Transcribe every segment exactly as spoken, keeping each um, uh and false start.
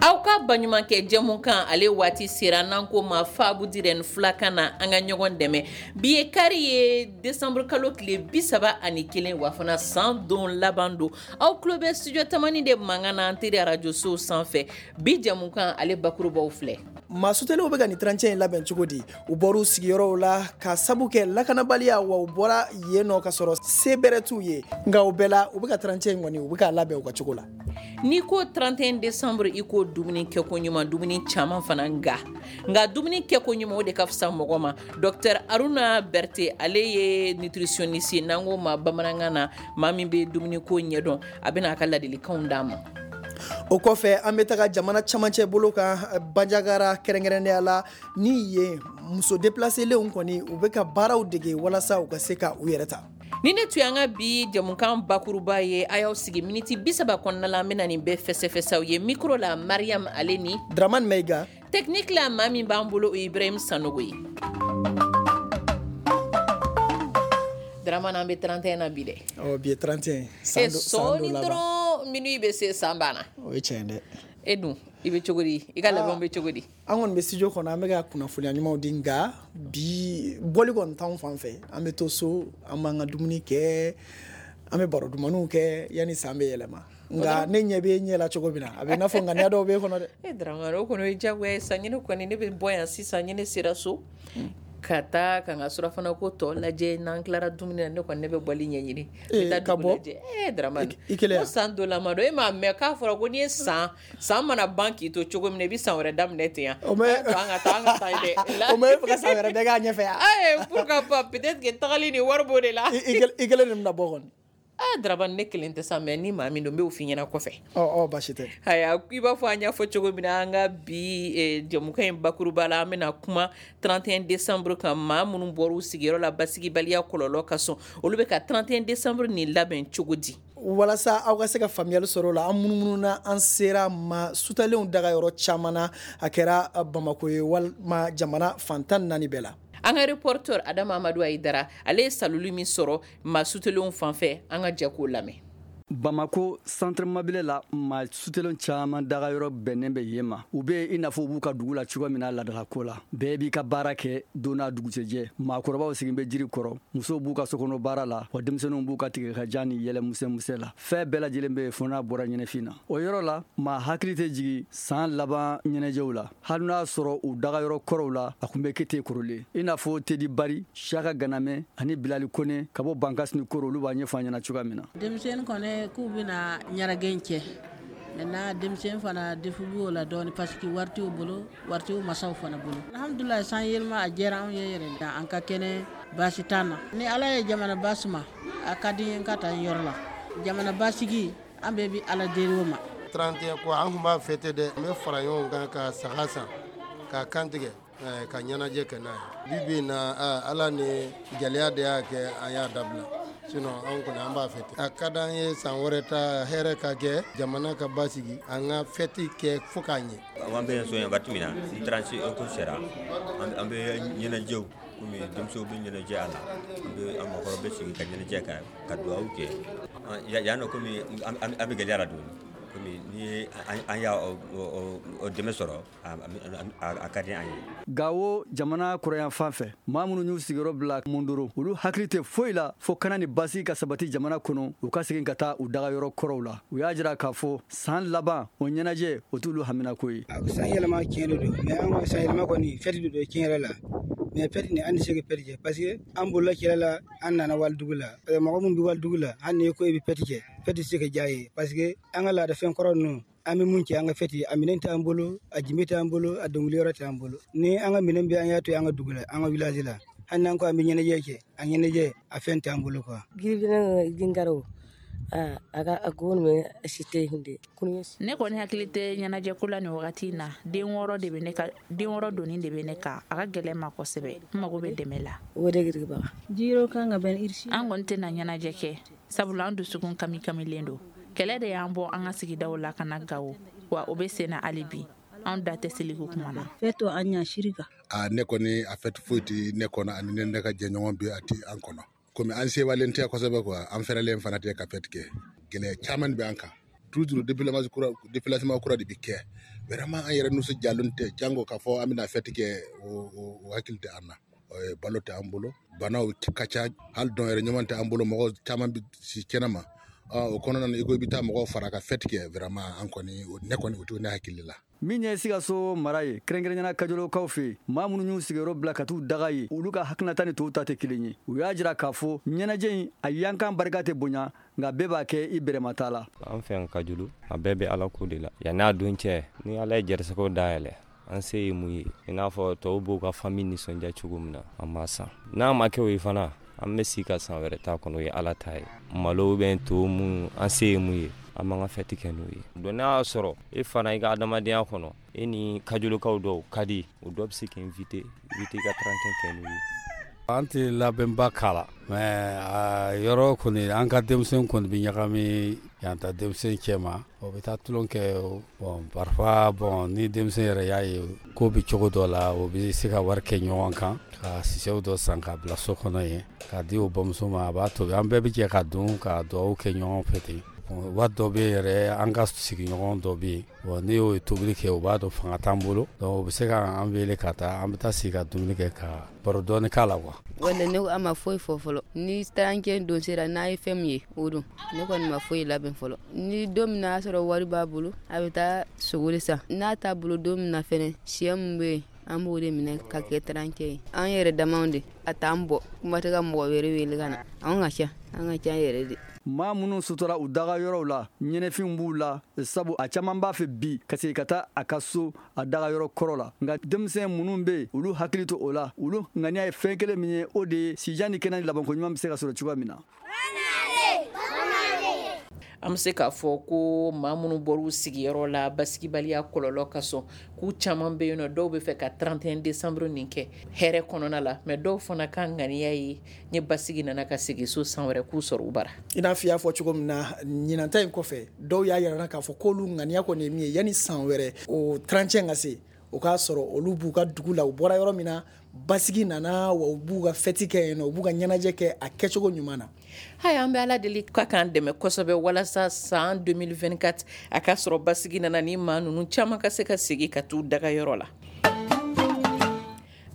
Aw ka baɲumankɛ jɛmukan ale waati sera, n'an ko ma Fabu dirɛni filakan na, an ka ɲɔgɔn dɛmɛ. Bi ye kari ye, décembre kalo tile bi saba ani kelen, wa fana san don laban don. Aw tulo bɛ studio Tamani de mankan na, an teri arajosow sanfɛ. Bi jɛmukan ale bakurubaw filɛ. Maa suteliw bɛ ka nin trente et un in labɛn cogo di? U bɔra u sigiyɔrɔw la ka sabu kɛ lakanabaliya, wa u bɔra yen nɔ ka sɔrɔ se bɛrɛ t'u ye, nka o bɛɛ la u bɛ ka trente et un in kɔni, u bɛ k'a labɛn u ka cogo la. N'i ko trente et un décembre, i ko dumuni kɛko ɲuman, dumuni caman fana, nka nka dumuni kɛko ɲuman, o de ka fisa mɔgɔ ma. Docteur Aruna Berete, ale ye nutritionniste ye, n'an ko ma bamanankan na maa min bɛ dumuniko ɲɛdɔn, a bɛna a ka ladilikanw d'an ma. O kɔfɛ, an bɛ taga jamana camancɛ bolo kan, Banjagara kɛrɛnkɛrɛnnenya la, ni yen muso déplacélenw kɔni, u bɛ ka baaraw dege walasa u ka se ka u yɛrɛ ta. Ni ne tun y'an ka bi jamukan bakuruba ye, a y'aw sigi miniti bi saba kɔnɔna la, an bɛna nin bɛɛ fɛsɛfɛsɛw ye. Micro la, Mariam ale ni Dramane Maiga. Technique la, maa min b'an bolo, o ye Ibrahim Sanogo ye. Dramane, an bɛ trente et un na bi dɛ. Ɔ, bi ye trente et un, san e san sɔɔni don laban. Dɔrɔn minuit bɛ se, san banna. O ye tiɲɛ ye dɛ. E dun, i bɛ cogo di? I ka labɛnw bɛ cogo di? An kɔni bɛ studio kɔnɔ, an bɛ ka kunnafoniya ɲumanw di, nka bi bɔli kɔni t'anw fan fɛ. An bɛ to so, an b'an ka dumuni kɛ, an bɛ baro dumanniw kɛ yanni san bɛ yɛlɛma. Nka ne ɲɛ bɛ ɲɛ la cogo min na, a bɛ i n'a fɔ ŋaniya dɔw b'e kɔnɔ dɛ. E Dramane, o kɔni o ye diyagoya ye sa. Ne kɔni, ne bɛ bɔ yan sisan, ni ne sera so ka taa ka n ka surafana ko tɔ lajɛ, n'an tilara dumuni na, ne kɔni ne bɛ bɔli ɲɛɲini, n bɛ taa ka dugu bɔ lajɛ. Eh Dramane, i kelen? Ko san don laban don, e m'a mɛn k'a fɔra ko n'i ye san san mana ban k'i to cogo min na, i bɛ san wɛrɛ daminɛ ten yan? O ma A y'a to an ka taa, an ka taa dɛ. O ma e fɛ ka san wɛrɛ bɛɛ k'a ɲɛfɛ yan? Ayi, pourquoi pas, peut-être que tagali ni wari b'o de la. I kelen de bɛna bɔ kɔni? Ah Dramane, ne kelen tɛ sa, mais ni maa min don, n b'o f'i ɲɛna kɔfɛ. Ɔ ɔ, baasi tɛ. Ayiwa, i b'a fɔ an y'a fɔ cogo min na, an ka bi eh, jɛmukan in bakuruba la, an bɛna kuma trente et un décembre kan. Maa minnu bɔra u sigiyɔrɔ la basigibaliya kɔlɔlɔ ka sɔn, olu bɛ ka trente et un décembre nin labɛn cogo di? Walasa aw ka se ka faamuyali sɔrɔ o la, an munumununa, an sera ma sutalenw daga yɔrɔ caman na, a kɛra Bamako ye walima jamana fan tan ni naani bɛɛ la. An ka reporter Adama Amadu Ayidara, ale ye saloli min sɔrɔ maa sutelenw fan fɛ, an ka jɛ k'o lamɛn. Bamako centre Mabile la, maa sutelen caman dagayɔrɔ bɛnnen bɛ yen ma. U bɛ i n'a fɔ u b'u ka dugu la cogo min na laadalako la. Bɛɛ b'i ka baara kɛ don n'a dugusɛjɛ. Maakɔrɔbaw sigin bɛ jiri kɔrɔ, musow b'u ka sokɔnɔ baara la, wa denmisɛnninw b'u ka tigɛ ka jan ni yɛlɛ musɛmusɛ la. Fɛn bɛɛ lajɛlen bɛ yen fo n'a bɔra ɲɛnɛfin na. O yɔrɔ la, maa hakili tɛ jigin san laban ɲɛnajɛw la, hali n'a sɔrɔ u dagayɔrɔ kɔrɔw la, a tun bɛ kɛ ten kɔrɔlen. I n'a fɔ Tedi Bari, Siyaka Ganamɛ ani Bilali Kone ka bɔ Bankasi ni Koro, olu b'a ɲɛfɔ an ɲɛna cogoya min na. Denmisɛnnin kɔni, k'u bɛna ɲɛnajɛ kɛ maintenant, denmisɛnnin fana defu b'o la dɔɔni, parce que wari t'u bolo, wari t'u masaw fana bolo. Alhamdulilayi, san yɛlɛma a diyara anw ye yɛrɛ, an ka kɛnɛ, baasi t'an na. Ni Ala ye jamana basuma, a ka di n ye n ka taa n yɔrɔ la. Jamana basigi, an bɛɛ bɛ Ala deli o ma. trente et un ko, an tun b'a fêter dɛ. An bɛ fara ɲɔgɔn kan ka saga san, ka kantigɛ, ka ɲɛnajɛ kɛ n'a ye. Bi bi in na, Ala ni gɛlɛya de y'a kɛ an y'a dabila, sinon an kɔni an b'a fêter. A ka d'an ye san wɛrɛ ta hɛrɛ ka kɛ, jamana ka basigi, an ka fête kɛ fo k'a ɲɛ. An bɛ so yan waati min na, ni trente ko sera, an bɛ ɲɛnajɛw, komi denmisɛnw bɛ ɲɛnajɛ a la, an bɛ an mɔgɔkɔrɔ bɛ sigi ka ɲɛnajɛ kɛ, ka dugawu kɛ yan nɔ. Komi an bɛ gɛlɛya la dɔɔni, komi ni an y'a dɛmɛ sɔrɔ, a ka di an ye. Gawo jamana kɔrɔyan fan fɛ, maa minnu y'u sigiyɔrɔ bila Mondoro, olu hakili tɛ foyi la fo kana ni basi ka sabati jamana kɔnɔ, u ka segin ka taa u dagayɔrɔ kɔrɔw la. U y'a jira k'a fɔ san laban o ɲɛnajɛ, o t'olu haminako ye. San yɛlɛma tiɲɛ de don, mais an ka san yɛlɛma kɔni, fête de don tiɲɛ yɛrɛ la, mais fête nin, an tɛ se ka fête kɛ, parce que an bolila kɛlɛ la, an nana walidugu la. Mɔgɔ min bɛ walidugu la, hali n'i ko i bɛ fête kɛ, fête tɛ se ka diya ye, parce que an ka laadafɛn kɔrɔ ninnu, an bɛ mun kɛ an ka fête, a minɛn t'an bolo, a jime t'an bolo, a dɔnkili yɔrɔ t'an bolo. Ni an ka minɛn bɛ, an y'a to an ka dugu la, an ka village la, hali n'an ko an bɛ ɲɛnajɛ kɛ, a ɲɛnajɛ a fɛn t'an bolo quoi. Gingaro a ka a ko si tɛ. Ne kɔni hakili tɛ ɲɛnajɛko la nin wagati in na. Den wɔɔrɔ de bɛ ne ka, den wɔɔrɔ doni de bɛ ne kan, a ka gɛlɛn ma kosɛbɛ. N mago bɛ dɛmɛ la. An kɔni tɛna ɲɛnajɛ kɛ, sabula an dusukun kami kamilen don. Kɛlɛ de y'an bɔ an ka sigidaw la ka na Gawo, wa o bɛ sen na hali bi. An da tɛ seliko kuma na. A ne kɔni, a fête foyi tɛ ne kɔnɔ, ani ne ne ka jɛɲɔgɔn bi, a tɛ an kɔnɔ, komi an sewalen tɛ kosɛbɛ quoi. An fɛrɛlen fana tɛ ka fête kɛ. Gɛlɛya caman bɛ an kan toujours. Déplacement kura, déplacement kura de bɛ kɛ. Vraiment an yɛrɛ nisɔndiyalen tɛ, jango k'a fɔ an bɛna fête kɛ, o o hakili tɛ an na. Balo tɛ an bolo, banaw ka ca, hali dɔn yɛrɛ ɲuman tɛ an bolo, mɔgɔ caman bɛ si kɛnɛ ma. O kɔnɔna na, i ko i bɛ taa mɔgɔw fara ka fête kɛ, vraiment an kɔni, ne kɔni, o tɛ ne hakili la. Min ye Sikaso mara ye, kɛrɛnkɛrɛnyana Kajolokaw fɛ yen, maa minnu y'u sigiyɔrɔ bila ka t'u daga ye, olu ka hakilinata ni tɔw ta tɛ kelen ye. U y'a jira k'a fɔ ɲɛnajɛ in a yankan barika tɛ bonya, nka bɛɛ b'a kɛ i bɛrɛmata la. An fɛ yan Kajolo, a bɛɛ bɛ Ala ko de la. Yanni a don cɛ, ni Ala ye garisɛgɛw dayɛlɛ, an se ye mun ye, i n'a fɔ tɔw b'u ka famille nisɔndiya cogo min na, an b'a san. N'a ma kɛ o ye fana, an bɛ sigi ka san wɛrɛ ta kɔnɔ, o ye Ala ta ye. Malo bɛ to mun, an se ye mun ye, an b'an ka fête kɛ n'o ye. Donc n'a y'a sɔrɔ e fana i ka adamadenya kɔnɔ, e ni Kajolokaw dɔw ka di, o dɔ bɛ se k'i invité, i bɛ t'i ka trente et un kɛ n'o ye. An tɛ labɛnba k'a la, mais a yɔrɔ kɔni, an ka denmisɛn kɔni bɛ ɲagami yan ta denmisɛn cɛ ma, o bɛ taa tulon kɛ. Bon, parfois, bon, ni denmisɛn yɛrɛ y'a ye ko bɛ cogo dɔ la, o bɛ se ka wari kɛ ɲɔgɔn kan ka sisɛw dɔ san ka bila so kɔnɔ yen k'a di o bamuso ma, a b'a tobi, an bɛɛ bɛ jɛ ka dun ka dugawu kɛ ɲɔgɔn fɛ ten. Waati dɔ bɛ yɛrɛ, an ka sigiɲɔgɔn dɔ bɛ yen, bon, n'i y'o tobili kɛ, o b'a dɔn fanga t'an bolo, donc o bɛ se k'an wele ka taa, an bɛ taa sigi ka dumuni kɛ ka baro dɔɔni k'a la quoi. Wala ne a ma foyi fɔ fɔlɔ. Ni trente et un don sera, n'a ye fɛn min ye, o don. Ne kɔni ma foyi labɛn fɔlɔ. Ni don min na y'a sɔrɔ wari b'a bolo, a bɛ taa sogo de san. N'a t'a bolo don min na fɛnɛ, sɛ min bɛ yen, an b'o de minɛ ka kɛ trente et un ye. An yɛrɛ damaw de a t'an bɔ, kuma tɛ ka mɔgɔ wɛrɛ wele ka na. An ka ca, an ka ca yɛrɛ de. Maa minnu sutura u daga yɔrɔw la, ɲɛnɛfinw b'u la, sabu a caman b'a fɛ bi ka segin ka taa a ka so, a daga yɔrɔ kɔrɔ la. Nka denmisɛn minnu bɛ yen, olu hakili to o la. Olu ŋaniya ye fɛn kelen min ye, o de ye sijan ni kɛnɛ ni labanko ɲuman bɛ se ka sɔrɔ cogoya min na. An bɛ se k'a fɔ ko maa minnu bɔra u sigiyɔrɔ la basigibaliya kɔlɔlɔ ka sɔn, k'u caman bɛ yen nɔ, dɔw bɛ fɛ ka trente et un décembre nin kɛ hɛrɛ kɔnɔna la, mais dɔw fana ka ŋaniya ye ni basigi nana ka segin so san wɛrɛ, k'u sɔrɔ u bara. I n'a fɔ i y'a fɔ cogo min na, ɲinanta in kɔfɛ, dɔw y'a yira k'a fɔ k'olu ŋaniya kɔni ye min ye, yanni san wɛrɛ o trente et un ka se, o k'a sɔrɔ olu b'u ka dugu la, u bɔra yɔrɔ min na, basigi nana wa, u b'u ka fête kɛ yen nɔ, u b'u ka ɲɛnajɛ kɛ a kɛcogo ɲuman na. Haya, an bɛ Ala deli ka k'an dɛmɛ kosɛbɛ walasa san deux mille vingt-quatre a ka sɔrɔ basigi nana, ni maa ninnu caman ka se ka segin ka t'u daga yɔrɔ la.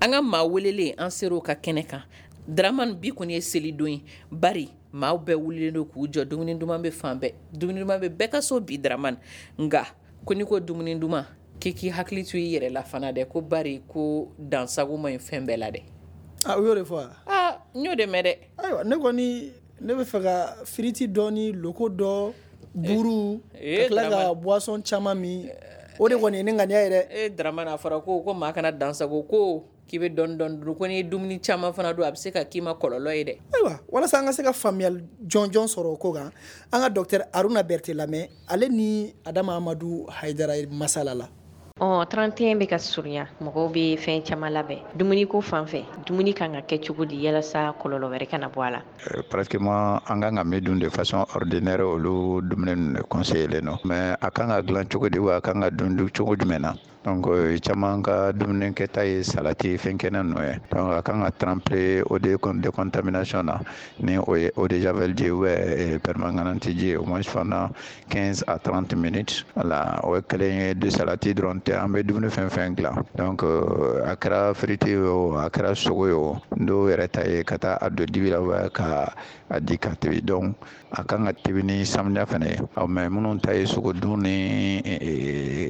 An ka maa welelen, an ser'o ka kɛnɛ kan. Dramani, bi kɔni ye selidon ye, bari maaw bɛɛ wulilen don k'u jɔ, dumuni duman bɛ fan bɛɛ, dumuni duman bɛ bɛɛ ka so bi, Dramani. Nka ko n'i ko dumuni duman, k'i k'i hakili to i yɛrɛ la fana dɛ, ko bari ko dansago ma ɲi fɛn bɛɛ la dɛ. A, u y'o de fɔ wa? Aa, n y'o de mɛn dɛ. Ayiwa, ne kɔni, ne bɛ fɛ ka frites dɔ ni loko dɔ, buru, ka tila ka boisson caman min, o de kɔni ye ne ŋaniya ye dɛ. E Dramani, a fɔra ko ko maa kana dansago, ko k'i bɛ dɔɔni dɔɔni dun, ko n'i ye dumuni caman fana dun, a bɛ se ka k'i ma kɔlɔlɔ ye dɛ. Ayiwa, walasa an ka se ka faamuyali jɔnjɔn sɔrɔ o ko kan, an ka docteur Haruna Berete lamɛn, ale ni Adama Amadu Hayidara ye masala la. Ɔ trente et un bɛ ka surunya, mɔgɔw bɛ fɛn caman labɛn. Dumuni ko fan fɛ, dumuni kan ka kɛ cogo di yalasa kɔlɔlɔ wɛrɛ kana bɔ a la? Pratiquement an kan ka min dun de façon ordinaire, olu dumuni ninnu de conseillé don, mais a kan ka dilan cogo di wa, a kan ka dun cogo jumɛn na? Donc caman ka dumuni kɛta ye salati, fɛn kɛnɛ ninnu ye. Donc a kan ka tremper eau de décontamination na, ni o ye eau de javel ji ou bien permanganate ji, au moins pendant quinze à trente minutes. Voilà, o ye kelen ye. De salati dɔrɔn tɛ, an bɛ dumuni fɛn fɛn dilan, donc a kɛra frites ye o, a kɛra sogo ye o, dɔw yɛrɛ ta ye ka taa a don dibi la ou ka a di ka tobi. Donc a kan ka tobi ni samiya fɛnɛ ye. Mais minnu ta ye sogo dun ni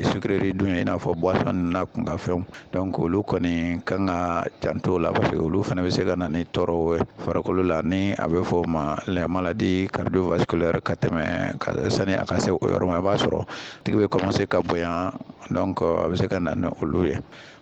sucrerie dun ye, i n'a fɔ boisson ninnu n'a kunkanfɛnw, donc olu kɔni kan ka janto o la, parce que olu fana bɛ se ka na ni tɔɔrɔw ye farikolo la, ni a bɛ fɔ o ma les maladies cardiovasculaires. Ka tɛmɛ ka sani a ka se o yɔrɔ ma, i b'a sɔrɔ tigi bɛ commencer ka bonya, donc a bɛ se ka na ni olu ye.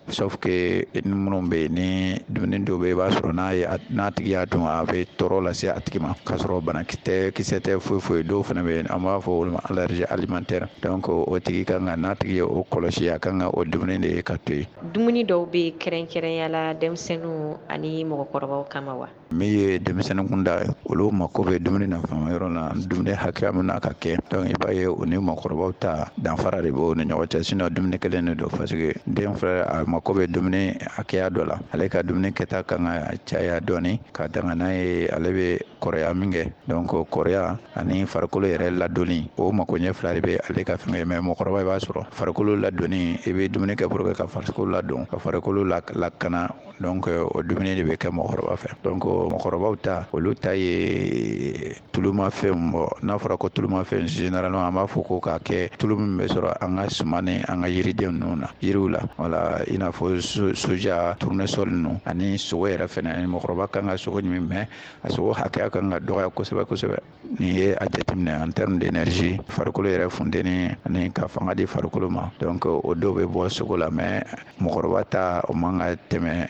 Sauf que ni minnu bɛ yen, ni dumuni dɔw bɛ yen, i b'a sɔrɔ n'a ye n'a tigi y'a dun, a bɛ tɔɔrɔ lase a tigi ma, k'a sɔrɔ banakisɛ kisɛ tɛ foyi foyi. Dɔw fana bɛ yen, an b'a fɔ olu ma allergie alimentaire. Donc o tigi kan ka, n'a tigi ye o kɔlɔsi, a kan ka o dumuni de ka to yen. Dumuni dɔw bɛ kɛrɛnkɛrɛnya la denmisɛnninw ani mɔgɔkɔrɔbaw kama wa? Min ye denmisɛnnin kunda ye, olu mako bɛ dumuni nafama yɔrɔ la, dumuni hakɛya min na ka kɛ. Donc i b'a ye o ni mɔgɔkɔrɔbaw ta danfara de b'o ni ɲɔgɔn cɛ, sinon dumuni kelen de don, parce que den filɛ a mako bɛ dumuni hakɛya dɔ la, ale ka dumuni kɛta kan ka caya dɔɔni ka danga n'a ye ale bɛ kɔrɔya min kɛ. Donc kɔrɔya ani farikolo yɛrɛ ladonni, o makoɲɛ fila de bɛ ale ka fɛn kɛ. Mais mɔgɔkɔrɔba i b'a sɔrɔ farikolo ladonni, i bɛ dumuni kɛ pour que ka farikolo ladon, ka farikolo lakana. Donc o dumuni de bɛ kɛ mɔgɔkɔrɔba fɛ. Donc mɔgɔkɔrɔbaw ta, olu ta ye tulumafɛn bɔ. N'a fɔra ko tulumafɛn, généralement an b'a fɔ ko k'a kɛ tulu min bɛ sɔrɔ an ka suman ni an ka yiriden ninnu na, yiriw la. Wala i n'a fɔ soja, tournesol ninnu ani sogo yɛrɛ fɛnɛ. Ani mɔgɔkɔrɔba kan ka sogo ɲimi, mais a sogo hakɛya kan ka dɔgɔya kosɛbɛ kosɛbɛ. N'i ye a jateminɛ en terme d'énergie, farikolo yɛrɛ funteni ani ka fanga di farikolo ma, donc o dɔw bɛ bɔ sogo la. Mais mɔgɔkɔrɔba ta o man ka tɛmɛ,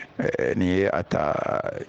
n'i ye a ta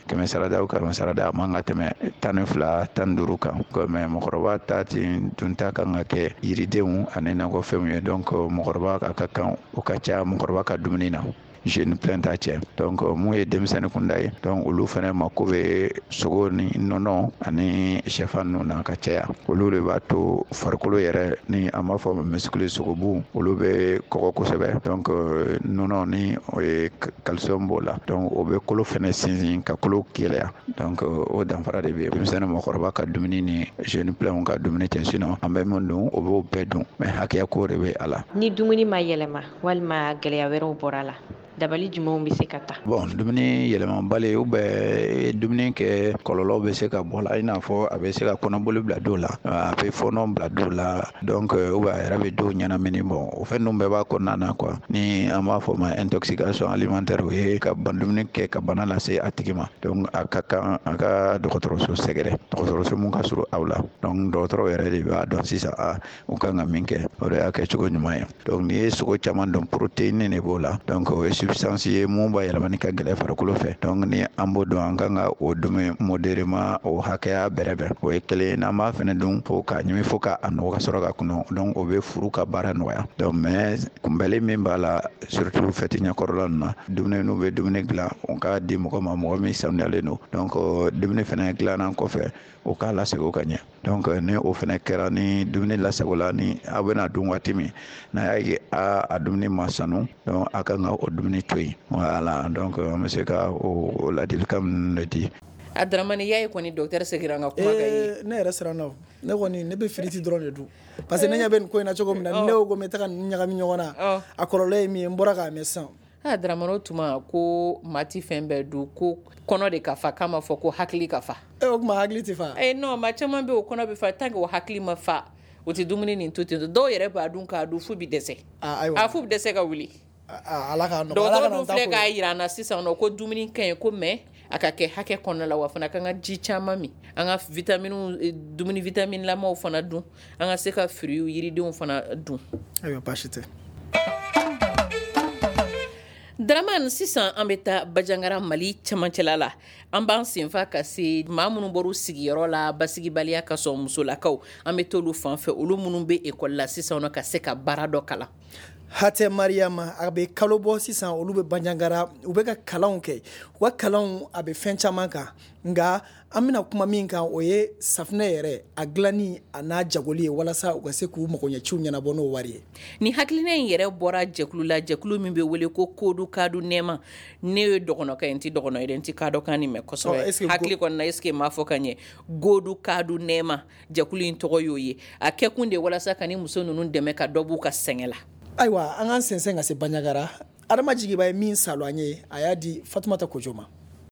kɛmɛ sarada o kɛmɛ sarada, a man ka tɛmɛ tan ni fila tan ni duuru kan. Mais mɔgɔkɔrɔba ta ten dunta kan ka kɛ yiridenw ani nakɔfɛnw ye. Donc mɔgɔkɔrɔba a ka kan o ka ca mɔgɔkɔrɔba ka dumuni na, jeune plein ta cɛ. Donc mun ye denmisɛnnin kunda ye, donc olu fana mako bɛ sogo ni nɔnɔ ani sɛfan ninnu na ka caya. Olu de b'a to farikolo yɛrɛ, ni an b'a fɔ muscle, sogobu, olu bɛ kɔgɔ kosɛbɛ. Donc nɔnɔ ni o ye calcium b'o la, donc o bɛ kolo fana sinsin ka kolo gɛlɛya. Donc o danfara de bɛ denmisɛnnin mɔgɔkɔrɔba ka dumuni ni jeune plein ka dumuni cɛ. Sinon an bɛ min dun, o b'o bɛɛ dun, mais hakɛya ko de bɛ a la. Ni dumuni ma yɛlɛma walima gɛlɛya wɛrɛw bɔra a la, dabali jumɛnw bɛ se ka ta? Bon, dumuni yɛlɛmabali ou bɛ dumuni kɛ, kɔlɔlɔ bɛ se ka bɔ la, i n'a fɔ a bɛ se ka kɔnɔboli bila dɔw la, a bɛ fɔɔnɔ bila dɔw la, donc ou bien a yɛrɛ bɛ dɔw ɲɛnamini. Bon, o fɛn ninnu bɛɛ b'a kɔnɔna na quoi. Ni an b'a fɔ ma intoxication alimentaire, o ye ka ban dumuni kɛ ka bana lase a tigi ma. Donc a ka kan a ka dɔgɔtɔrɔso sɛgɛrɛ, dɔgɔtɔrɔso mun ka surun aw la. Donc dɔgɔtɔrɔw yɛrɛ de b'a dɔn sisan a u kan ka min kɛ, o de y'a kɛ cogo ɲuman ye. Donc n'i ye sogo caman dun, protéine de b'o la, donc o ye substance ye mun b'a yɛlɛmani ka gɛlɛ farikolo fɛ. Donc ni an b'o dɔn, an kan ka o dumuni modérément, o hakɛya bɛrɛbɛn. O ye kelen. N'an b'a fɛnɛ dun fo k'a ɲimi fo k'a nɔgɔ ka sɔrɔ ka kɔnɔ, donc o bɛ furu ka baara nɔgɔya. Donc mais kunbɛli min b'a la, surtout fɛti ɲɛkɔrɔla ninnu na, dumuni n'u bɛ dumuni dilan, o k'a di mɔgɔ ma, mɔgɔ min sanuyalen don. Donc dumuni fɛnɛ dilanna kɔfɛ, o k'a lasago ka ɲɛ. Donc ni o fɛnɛ kɛra, ni dumuni lasagola, ni aw bɛna dun waati min, n'a y'a ye a a dumuni ma sanu, donc a kan ka o dumuni to yen. Voilà, donc an bɛ se ka o ladilikan ninnu de di. A Dramane, y'a ye kɔni docteur seginna an ka kuma kan ye. Ne yɛrɛ siranna o. Ne kɔni ne bɛ firiti dɔrɔn de dun, parce que ne ɲɛ bɛ nin ko in na cogo min na, ne ko ko n bɛ taga ninnu ɲagami ɲɔgɔn na, a kɔlɔlɔ ye min ye, n bɔra k'a mɛn sisan. Ah Dramane, o tuma ko maa ti fɛn bɛɛ dun, ko kɔnɔ de ka fa, k'a ma fɔ ko hakili ka fa. E o tuma hakili tɛ fa? Eh non, maa caman bɛ yen o kɔnɔ bɛ fa, tant que o hakili ma fa, o tɛ dumuni nin to ten. Dɔw yɛrɛ b'a dun k'a dun f'u bɛ dɛsɛ. A f'u bɛ dɛsɛ ka wuli. Ala k'a nɔgɔya. Dɔgɔtɔrɔ dun filɛ k'a jira an na sisan nɔ ko dumuni ka ɲi ko, mais a ka kɛ hakɛ kɔnɔna la, wa fana k'an ka ji caman min, an ka vitamines, dumuni vitamine lamaw fana dun, an ka se ka fruits, yiridenw fana dun. Ayiwa, baasi tɛ. Dramane, sisan an bɛ taa Bandiagara, Mali cɛmancɛla la. An b'an senfa ka se maa minnu bɔr'u sigiyɔrɔ la basigibaliya ka sɔn, musolakaw, an bɛ t'olu fan fɛ, olu minnu bɛ ekɔli la sisan nɔ ka se ka baara dɔ kalan. Hatɛ Mariama, a bɛ kalo bɔ sisan, olu bɛ Bandiagara, u bɛ ka kalanw kɛ. U ka kalanw a bɛ fɛn caman kan, nka an bɛna kuma min kan, o ye safunɛ yɛrɛ a dilanni a n'a jagoli ye, walasa u ka se k'u magoɲɛciw ɲɛnabɔ n'o wari ye. Ni hakilina in yɛrɛ bɔra jɛkulu la, jɛkulu min bɛ wele ko Kodu Kadu Nɛma. Ne ye dɔgɔnɔkɛ ye, n tɛ dɔgɔnɔ ye dɛ, n tɛ kadɔkan nin mɛn kosɛbɛ. Hakili kɔni na, est ce que n m'a fɔ ka ɲɛ? Godu Kadu Nɛma, jɛkulu in tɔgɔ y'o ye. A kɛkun de walasa ka ni muso ninnu dɛmɛ ka dɔ b'u ka sɛgɛn la. Ayiwa, an k'an sɛnsɛn ka se Bandiagara. Adama Jigiba ye min salo an ye, a y'a di Fatumata Kojo ma.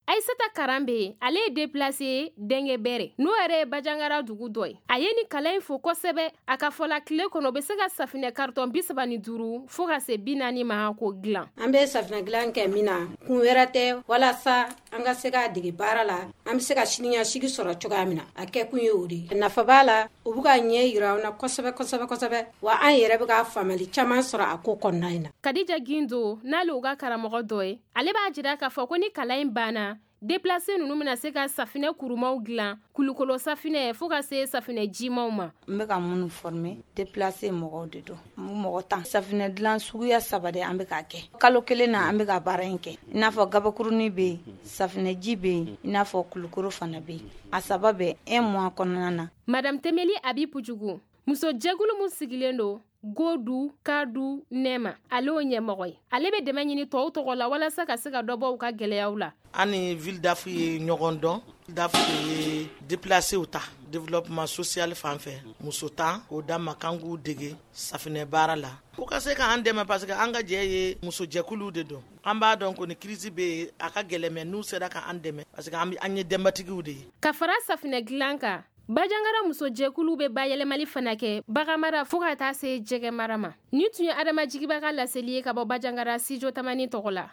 Aissata Karambe, ale ye déplacé Dengue Bere, n'o yɛrɛ ye Bandiagara dugu dɔ ye. A ye ni kalan in fo kosɛbɛ. A ka fɔ la, tile kɔnɔ, o bɛ se ka safinɛ carton bi saba ni duuru fo ka se bi naani ma k'o dilan. An bɛ safinɛ dilan kɛ min na, kun wɛrɛ tɛ, walasa an ka se k'a dege baara la, an bɛ se ka siniɲɛsigi sɔrɔ cogoya min na, a kɛkun ye o de ye. Nafa b'a la, u bɛ ka ɲɛ yira an na kosɛbɛ kosɛbɛ kosɛbɛ, wa an yɛrɛ bɛ ka faamuyali caman sɔrɔ a ko kɔnɔna in na. Kadija Gindo, n'ale u ka karamɔgɔ dɔ ye, ale b'a jira k'a fɔ ko ni kalan in banna, déplacé ninnu bɛna se ka safinɛ kurumaw dilan, kulukolo safinɛ fo ka se safinɛ jimaw ma. N bɛ ka minnu former déplacé mɔgɔw de don, mɔgɔ tan. Safinɛ dilan suguya saba de an bɛ k'a kɛ. Kalo kelen na an bɛ ka baara in kɛ. I n'a fɔ gabakurunin bɛ yen, safinɛji bɛ yen, i n'a fɔ kulukoro fana bɛ yen. A saba bɛ un mois kɔnɔna na. Madame Temeli Abi Pujugu, muso jɛkulu min sigilen don Godu Kadu Nɛma, ale y'o ɲɛmɔgɔ ye. Ale bɛ dɛmɛ ɲini tɔw tɔgɔ la walasa ka se ka dɔ bɔ u ka gɛlɛyaw la. An ni ville d'Af ye ɲɔgɔn dɔn. D A F de ye déplacé ta développement social fan fɛ, muso tan k'o d'an ma k'an k'u dege safinɛ baara la. U ka se k'an dɛmɛ parce que an ka jɛ ye musojɛkuluw de don. An b'a dɔn ko ni crise bɛ yen, a ka gɛlɛn, mais n'u sera k'an dɛmɛ parce que an ye denbatigiw de ye. Ka fara safinɛ dilan kan, Bandiagara musojɛkulu bɛ bayɛlɛmali fana kɛ baganmara fo ka taa se jɛgɛmara ma. Nin tun ye Adama Jigiba ka laseli ye ka bɔ Bandiagara Studio Tamani tɔgɔ la.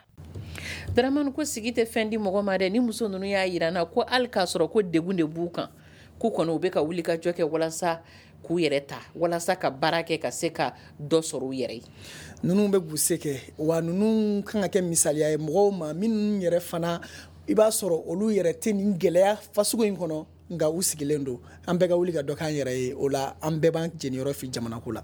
Dramane ko sigi tɛ fɛn di mɔgɔ ma dɛ. Ni muso ninnu y'a jira n na ko hali k'a sɔrɔ ko degun de b'u kan, k'u kɔni u bɛ ka wuli ka jɔ kɛ walasa k'u yɛrɛ ta, walasa ka baara kɛ ka se ka dɔ sɔrɔ u yɛrɛ ye. Ninnu bɛ k'u se kɛ, wa ninnu kan ka kɛ misaliya ye mɔgɔw ma minnu yɛrɛ fana i b'a sɔrɔ olu yɛrɛ tɛ nin gɛlɛya fasugu in kɔnɔ, nka u sigilen don. An bɛɛ ka wuli ka dɔ k'an yɛrɛ ye, o la an bɛɛ b'an jeniyɔrɔ fi jamana ko la.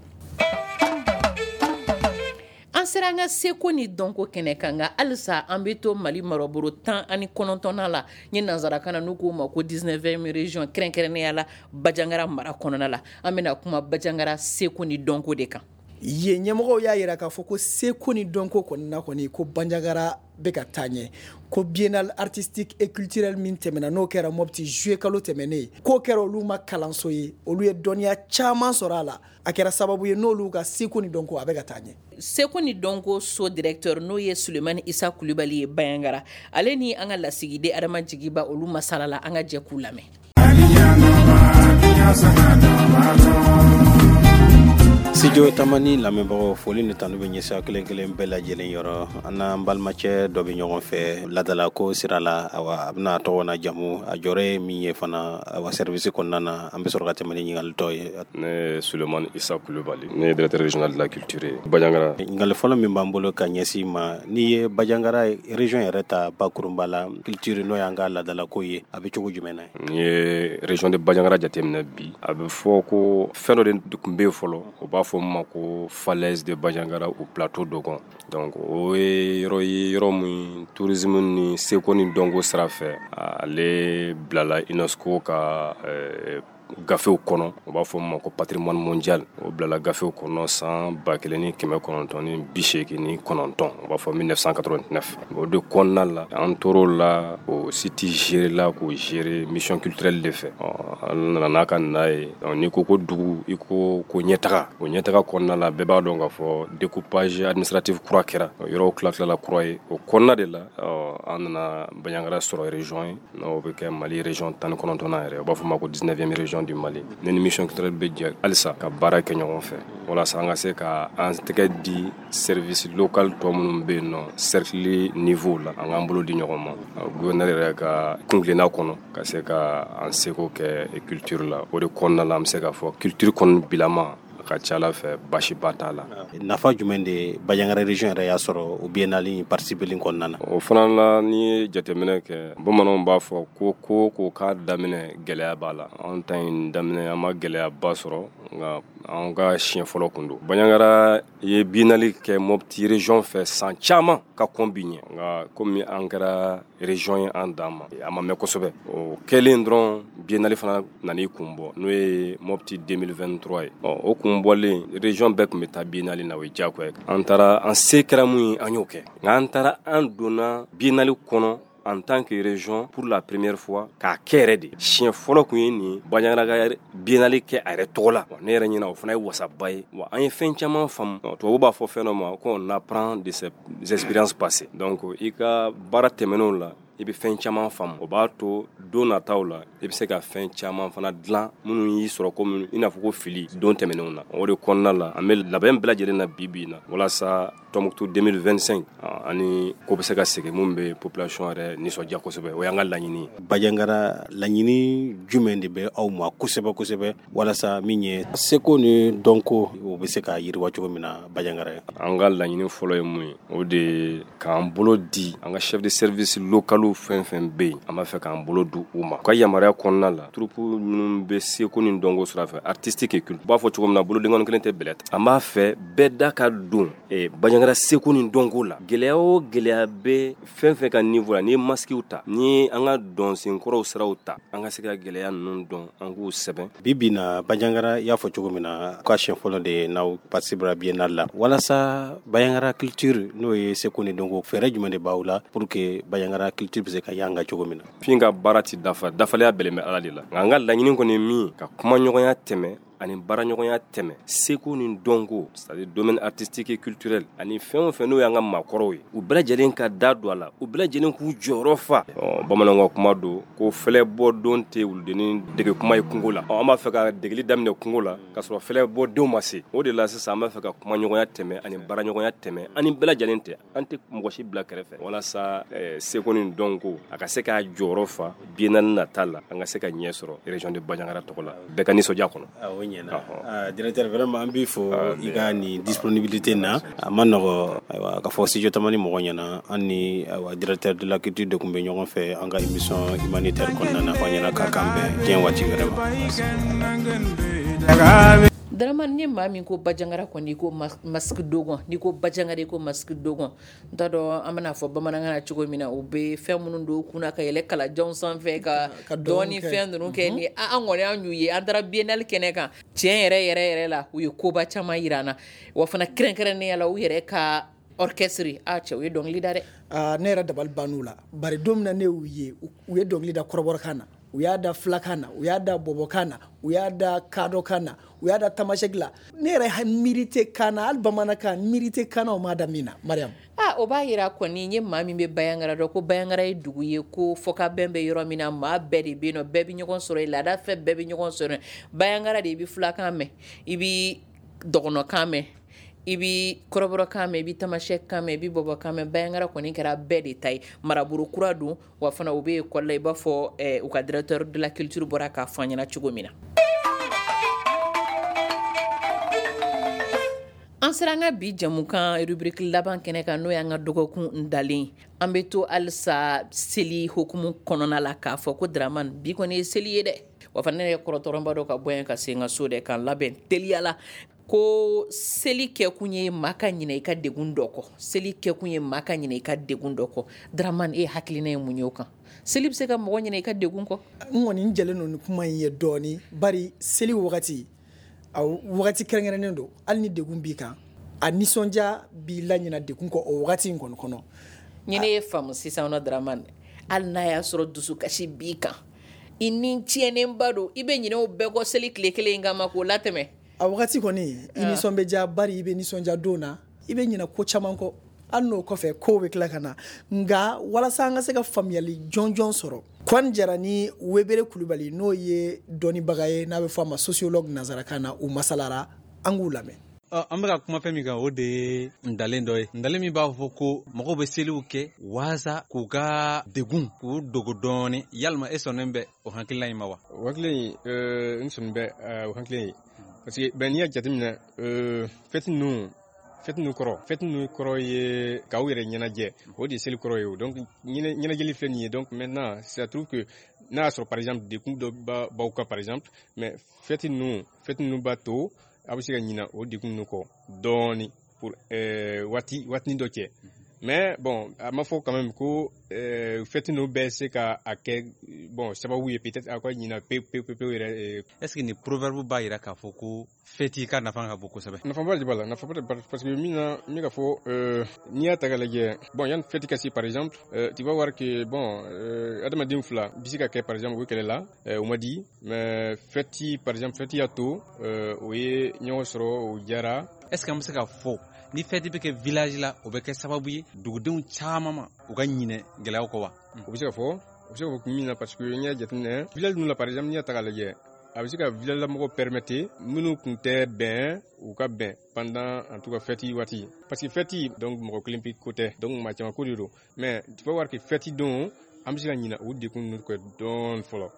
An sera an ka seko ni dɔnko kɛnɛ kan, nka halisa an bɛ to Mali marabolo tan ani kɔnɔntɔnna la, n ye nanzarakan na n'u k'o ma ko dix-neuvième région, kɛrɛnkɛrɛnnenya la Bandiagara mara kɔnɔna la. An bɛna kuma Bandiagara seko ni dɔnko de kan. Yen ɲɛmɔgɔw y'a jira k'a fɔ ko seko ni dɔnko kɔni na kɔni ko Bandiagara bɛ ka taa ɲɛ, ko biennale artistique et culturelle min tɛmɛna n'o kɛra Mopti juillet kalo tɛmɛnen, k'o kɛra olu ma kalanso ye, olu ye dɔnniya caman sɔrɔ a la, a kɛra sababu ye n'olu ka seko ni dɔnko a bɛ ka taa ɲɛ. Seko ni dɔnko so directeur n'o ye Sulemani Isa Kulibali ye Bandiagara, ale ni an ka lasigiden Adama Jigiba olu masala la, an ka jɛ k'u lamɛn. Studio Tamani lamɛnbagaw, foli ni tanu bɛ ɲɛsin kelen kelen bɛɛ lajɛlen yɔrɔ. An n'an balimacɛ dɔ bɛ ɲɔgɔn fɛ ladalako sira la, awa a bɛna tɔgɔ n'a jamu, a jɔyɔrɔ ye min ye fana awa service kɔnɔna na, an bɛ sɔrɔ ka tɛmɛ ni ɲininkali tɔ ye. Ne ye Sulemani Isa Kulubali, ne ye directeur régional de la culture ye Bandiagara. Ɲininkali fɔlɔ min b'an bolo ka ɲɛsin ma, n'i ye Bandiagara région yɛrɛ ta bakurunba la, culture n'o y'an ka ladalako ye, a bɛ cogo jumɛn na? N'i ye région de Bandiagara jateminɛ bi, a bɛ fɔ ko fɛn dɔ de tun bɛ yen fɔlɔ, o b'a fɔ ma ko falaise de Bandiagara ou plateau Dogon. Donc o ye yɔrɔ ye, yɔrɔ min tourisme ni seko ni dɔnko sira fɛ, ale bilala UNESCO ka euh, gafew kɔnɔ, u b'a fɔ ma ko patrimoine mondial. O bilala gafew kɔnɔ san ba kelen ni kɛmɛ kɔnɔntɔn ni bi seegin ni kɔnɔntɔn, u b'a fɔ mille neuf cent quatre-vingt-neuf. O de kɔnɔna la, an tor'o la, o site gérer la k'o gérer mission culturelle de fɛ. An nana n'a ka na ye, n'i ko ko dugu, i ko ko ɲɛtaga, o ɲɛtaga kɔnɔna la, bɛɛ b'a dɔn k'a fɔ découpage administratif kura kɛra, yɔrɔw tila tilala kura ye. O kɔnɔna de la, an nana Bandiagara sɔrɔ région ye, n'o bɛ kɛ Mali région tan ni kɔnɔntɔnnan yɛrɛ, u b'a fɔ ma ko dix-neuvième région du Mali. Ne ni mission culturelle bɛ jɛ halisa ka baara kɛ ɲɔgɔn fɛ walasa an ka se ka an tɛgɛ di service local tɔ minnu bɛ yen nɔ cercle niveau la, an k'an bolo di ɲɔgɔn ma gouverneur yɛrɛ ka kuntilenna kɔnɔ ka se ka an seko kɛ culture la. O de kɔnɔna la, an bɛ se k'a fɔ culture kɔni bilama ka ca ala fɛ baasiba t'a la. Nafa jumɛn de Bandiagara région yɛrɛ y'a sɔrɔ o biennale participer kɔnɔna na? O fana la, n'i ye jateminɛ kɛ, bamananw b'a fɔ ko ko ko k'a daminɛ gɛlɛya b'a la. Anw ta in daminɛ, an ma gɛlɛyaba sɔrɔ, nka an ka siɲɛ fɔlɔ kun don. Bandiagara ye biennale kɛ Mopti région fɛ san caman ka kɔn bi ɲɛ, nka komi an kɛra région ye an dan ma, a ma mɛn kosɛbɛ. O kɛlen dɔrɔn, biennale fana nan'i kun bɔ, n'o ye Mopti deux mille vingt-trois ye. Ɔ o kun bɔlen, région bɛɛ tun bɛ taa biennale na, o ye diyagoya ye. An taara, an se kɛra mun ye, an y'o kɛ, nka an taara an donna biennale kɔnɔ en tant que région pour la première fois k'a kɛ yɛrɛ de. Siɲɛ fɔlɔ kun ye nin Bandiagara ka biennale kɛ a yɛrɛ tɔgɔ la. Ne yɛrɛ ɲɛna, o fana ye wasaba ye. Wa an ye fɛn caman faamu. Tubabu b'a fɔ fɛn dɔ ma ko on apprend de ses expériences passées. Donc i ka baara tɛmɛnenw la, i bɛ fɛn caman faamu, o b'a to don nataw la i bɛ se ka fɛn caman fana dilan minnu y'i sɔrɔ komi i n'a fɔ ko fili don tɛmɛnenw na. O de kɔnɔna la, an bɛ labɛn bɛɛ lajɛlen na bi bi in na walasa Tombouctou deux mille vingt-cinq ani ko bɛ se ka segin mun bɛ population yɛrɛ nisɔndiya kosɛbɛ, o y'an ka laɲini ye. Bandiagara laɲini jumɛn de bɛ aw ma kosɛbɛ kosɛbɛ walasa min ye seko ni dɔnko o bɛ se ka yiriwa cogo min na Bandiagara ye? An ka laɲini fɔlɔ ye mun ye, o de ye k'an bolo di an ka chef de service locaux fɛn fɛn bɛ yen, an b'a fɛ k'an bolo di u ma. U ka yamaruya kɔnɔna la, troupe minnu bɛ seko ni dɔnko sira fɛ, artistique et culture, u b'a fɔ cogo min na bolodenkɔni kelen tɛ bɛlɛ ta. An b'a fɛ bɛɛ da ka don eh, Bandiagara seko ni dɔnko la. Gɛlɛya o gɛlɛya bɛ fɛn fɛn ka niveau la, n'i ye masques ta, n'i ye an ka dɔnsenkɔrɔw siraw ta, an ka se ka gɛlɛya ninnu dɔn, an k'u sɛbɛn. Bi bi na Bandiagara, i y'a fɔ cogo min na, ka siɲɛ fɔlɔ de ye n'aw participera biennale la, walasa Bandiagara culture n'o ye seko ni dɔnko, fɛɛrɛ jumɛn de b'aw la pour que Bandiagara culture bɛ se ka yanga cogo min na? Fin ka baara ti dafa, dafalenya bɛlen bɛ Ala de la, nka an ka laɲini kɔni ye min ye, ka kumaɲɔgɔnya tɛmɛ ani baaraɲɔgɔnya tɛmɛ seko ni dɔnko, c'est-à-dire domaine artistique et culturel, ani fɛn o fɛn n'o y'an ka maakɔrɔw ye, u bɛɛ lajɛlen ka da don a la, u bɛɛ lajɛlen k'u jɔyɔrɔ fa. Bamananw ka kuma don ko fɛlɛ bɔ don tɛ wuludennin dege kuma ye kungo la. An b'a fɛ ka degeli daminɛ kungo la k'a sɔrɔ fɛlɛ bɔ denw ma se. O de la sisan an b'a fɛ ka kumaɲɔgɔnya tɛmɛ ani baaraɲɔgɔnya tɛmɛ ani bɛɛ lajɛlen tɛ, an tɛ mɔgɔ si bila kɛrɛfɛ, walasa seko ni dɔnko a ka se k'a jɔyɔrɔ fa biennale nata la, an ka se ka ɲɛ sɔrɔ région de Bandiagara tɔgɔ la, bɛɛ ka nisɔndiya kɔnɔ. Ɲɛna directeur, vraiment an b'i fo i ka nin disponibilité na, a ma nɔgɔ. Ayiwa, ka fɔ studio Tamani mɔgɔ ɲɛna, an ni ayiwa directeur de la culture de tun bɛ ɲɔgɔn fɛ an ka émission humanitaire kɔnɔna na. Fɔ ɲɛna k'a k'an bɛn diɲɛ waati wɛrɛ ma. Dramane, ni maa min ko Bandiagara kɔni, i ko masque dogon, n'i ko Bandiagara i ko masque dogon. N t'a dɔn an bɛna fɔ bamanankan na cogo min na, u bɛ fɛn minnu don u kunna ka yɛlɛ kalajanw sanfɛ ka dɔɔni fɛn ninnu kɛ ni an kɔni an y'u ye, an taara biennale kɛnɛ kan, tiɲɛ yɛrɛ yɛrɛ yɛrɛ la, u ye koba caman yira an na, wa fana kɛrɛnkɛrɛnnenya la u yɛrɛ ka orchestre, a cɛ u ye dɔnkili da dɛ. Ne yɛrɛ dabali bann'u la, bari don min na ne y'u ye, u ye dɔnkili da kɔrɔbɔrɔkan na, u y'a da filakan na, u y'a da bɔbɔkan na, u y'a da kadɔkan na, u y'a da tamasɛki la. Ne yɛrɛ miiri tɛ kan na, hali bamanankan miiri tɛ kan na, o ma da min na, Mariam. Ah, o b'a yira kɔni n ye maa min bɛ Bandiagara dɔn ko Bandiagara ye dugu ye ko fɔkabɛn bɛ yɔrɔ min na, maa bɛɛ de bɛ yen nɔ, bɛɛ bɛ ɲɔgɔn sɔrɔ yen, laada fɛ bɛɛ bɛ ɲɔgɔn sɔrɔ yen. Bandiagara de i bɛ filakan mɛn, i bɛ dɔgɔnɔkan mɛn, i bɛ kɔrɔbɔrɔkan mɛn, i bɛ tamasɛki mɛn, i bɛ bɔbɔkan mɛn. Bandiagara kɔni kɛra bɛɛ de ta ye. Marabolo kura don, wa fana u bɛ ekɔli la, i b'a fɔ u ka directeur de la culture bɔra k'a fɔ an ɲɛna cogo min na. An sera an ka bi jamukan rubrique laban kɛnɛ kan, n'o y'an ka dɔgɔkun dalen. An bɛ to halisa seli hokumu kɔnɔna la k'a fɔ ko Dramane, bi kɔni ye seli ye dɛ. Wa fana ne yɛrɛ kɔrɔtɔrɔba dɔ ka bɔ yan ka se n ka so dɛ, k'an labɛn teliya la. Ko seli kɛkun ye maa ka ɲinɛ i ka degun dɔ kɔ, seli kɛkun ye maa ka ɲinɛ i ka degun dɔ kɔ. Dramane, e hakilina ye mun ye o kan? Seli bɛ se ka mɔgɔ ɲinɛ i ka degun kɔ? N kɔni n jɛlen don ni kuma in ye dɔɔni, bari seli wagati a wagati kɛrɛnkɛrɛnnen don, hali ni degun b'i kan, a nisɔndiya b'i laɲina degun kɔ o wagati in kɔni kɔnɔ. Ni ne ye faamu sisan nɔ Dramane, hali n'a y'a sɔrɔ dusukasi b'i kan, i ni tiɲɛnenba don, i bɛ ɲinɛ o bɛɛ kɔ seli tile kelen in kama k'o latɛmɛ. A wagati kɔni i nisɔn bɛ diya, bari i bɛ nisɔndiya don na, i bɛ ɲinɛ ko caman kɔ, hali n'o kɔfɛ kow bɛ tila ka na. Nka walasa an ka se ka faamuyali jɔnjɔn sɔrɔ, Kɔni Jara ni Webere Kulubali, n'o ye dɔnnibaga ye n'a bɛ fɔ a ma sociologue nanzarakan na, u masalara, an k'u lamɛn. An bɛ ka kuma fɛn min kan, o de ye ntalen dɔ ye, ntalen min b'a fɔ ko mɔgɔw bɛ seliw kɛ waasa k'u ka degun k'u dogo dɔɔni. Yalima e sɔnnen bɛ o hakilina in ma wa? O hakilina in, n sɔnnen bɛ o hakilina in, parce que ben n'i y'a jateminɛ, fɛti ninnu fɛti ninnu kɔrɔ fɛti ninnu kɔrɔ ye k'aw yɛrɛ ɲɛnajɛ, o de ye seli kɔrɔ ye. O donc ɲɛnajɛli filɛ nin ye. Donc maintenant ça trouve que n'a y'a sɔrɔ par exemple degun dɔ b'aw kan par exemple, mais fɛti ninnu fɛti ninnu b'a to a bɛ se ka ɲina o degun ninnu kɔ dɔɔni pour waati waatinin dɔ cɛ. Mais bon, a ma fɔ quand même ko fɛti ninnu bɛɛ se ka a kɛ bon sababu ye peut-être a ka ɲina pewu pewu pewu yɛrɛ. Est-ce que nin proverbe b'a yira k'a fɔ ko fɛti ka nafa ka bon kosɛbɛ? Nafaba de b'a la, nafaba de b'a la, parce que min na min ka fɔ, n'i y'a ta k'a lajɛ, bon yanni fɛti ka se par exemple, tu vas voir que bon adamaden fila bi se ka kɛ par exemple u bɛ kɛlɛ la, o ma di, mais fɛti par exemple fɛti y'a to o ye ɲɔgɔn sɔrɔ, o diyara. Est-ce que an bɛ se k'a fɔ ni fɛti bɛ kɛ village la, o bɛ kɛ sababu ye dugudenw caman ma u ka ɲinɛ gɛlɛyaw kɔ wa? O bɛ se ka fɔ, o bɛ se ka fɔ min na, parce que n'i y'a jateminɛ village ninnu la par exemple, n'i y'a ta k'a lajɛ, A bɛ se ka village la mɔgɔw permettre minnu tun tɛ bɛn u ka bɛn pendant en tout cas fête waati, parce que fête donc mɔgɔ kelen pe ko tɛ, donc maa caman ko de don. Mais tu vas voir que fête don, an bɛ se ka ɲinɛ o degun ninnu kɔ dɔɔni fɔlɔ.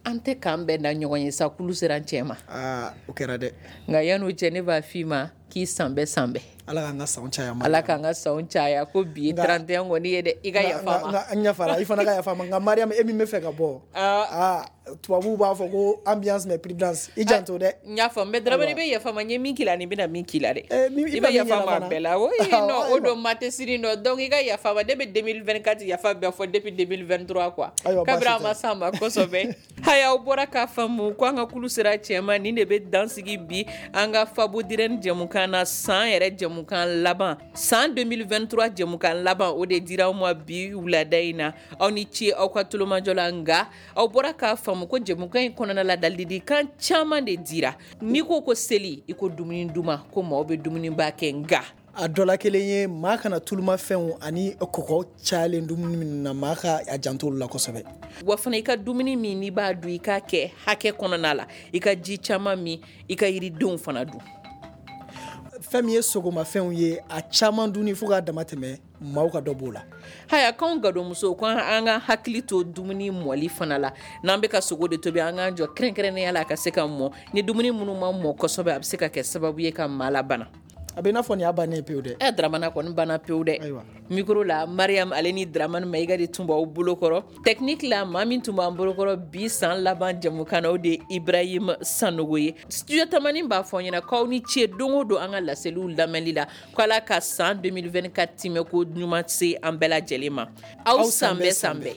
An tɛ k'an bɛn da ɲɔgɔn ye sa, kulu sera an cɛ ma. Aa, o kɛra dɛ. Nka yan'o cɛ, ne b'a f'i ma k'i san bɛɛ san bɛɛ. Ala k'an ka sanw caya. Ala k'an ka sanw caya. Ko bi ye trente et un kɔni ye dɛ, i ka yafa ma. N yafara, i fana ka yafa ma. Nka Mariam, e min bɛ fɛ ka bɔ, aa, tubabuw b'a fɔ ko ambiance mais prudence, i janto dɛ. N y'a faamu, mais Dramane, i bɛ yafa ma, n ye min k'i la ani n bɛna min k'i la dɛ. I bɛ yafa ma a bɛɛ la. Oui, non, o don ma tɛ sini nɔ, donc i ka yafa ma. Ne bɛ deux mille vingt-quatre yafa bɛɛ fɔ depuis deux mille vingt-trois quoi. Kabini a ma s'an ma kosɛbɛ. Haya, aw bɔra k'a faamu ko an ka kulu sera cɛ ma. Nin de bɛ dan sigi bi an ka Fabu Dirɛni jɛmukan na, san yɛrɛ jɛmukan laban, san deux mille vingt-trois jɛmukan laban, o de dira aw ma bi wulada in na. Aw ni ce aw ka tulomajɔ la. Nka aw bɔra k'a faamu ko jɛmukan in kɔnɔna la, ladilikan caman de dira. N'i ko ko seli, i ko dumuni duman, ko maaw bɛ dumuniba kɛ. Nka a dɔ la kelen ye, maa kana tulumafɛnw ani kɔgɔ cayalen dumuni minnu na, maa ka a janto olu la kosɛbɛ. Wa fana, i ka dumuni min n'i b'a dun, i k'a kɛ hakɛ kɔnɔna la, i ka ji caman min, i ka yiridenw fana dun. Fɛn min ye sogomafɛnw ye, a caman dunni fo k'a dama tɛmɛ, maaw ka dɔ b'o la. Haya, k'anw gadonmusow, ko an ka hakili to dumuni mɔli fana la. N'an bɛ ka sogo de tobi, an k'an jɔ kɛrɛnkɛrɛnnenya la a ka se ka mɔ. Ni dumuni minnu ma mɔ kosɛbɛ, a bɛ se ka kɛ sababu ye ka maa labana. A bɛ i n'a fɔ nin y'a bannen pewu dɛ. Ɛ, Dramana kɔni banna pewu dɛ. Micro la, Mariam ale ni Dramane Mayiga de tun b'aw bolokɔrɔ. Technique la, maa min tun b'an bolokɔrɔ bi san laban jɛmukan na, o de ye Ibrahim Sanogo ye. Studio Tamani b'a fɔ aw ɲɛna k'aw ni ce don o don an ka laseliw lamɛnli la, ko Ala ka san deux mille vingt-quatre timɛ ko ɲuman se an bɛɛ lajɛlen ma. Aw san bɛɛ san bɛɛ.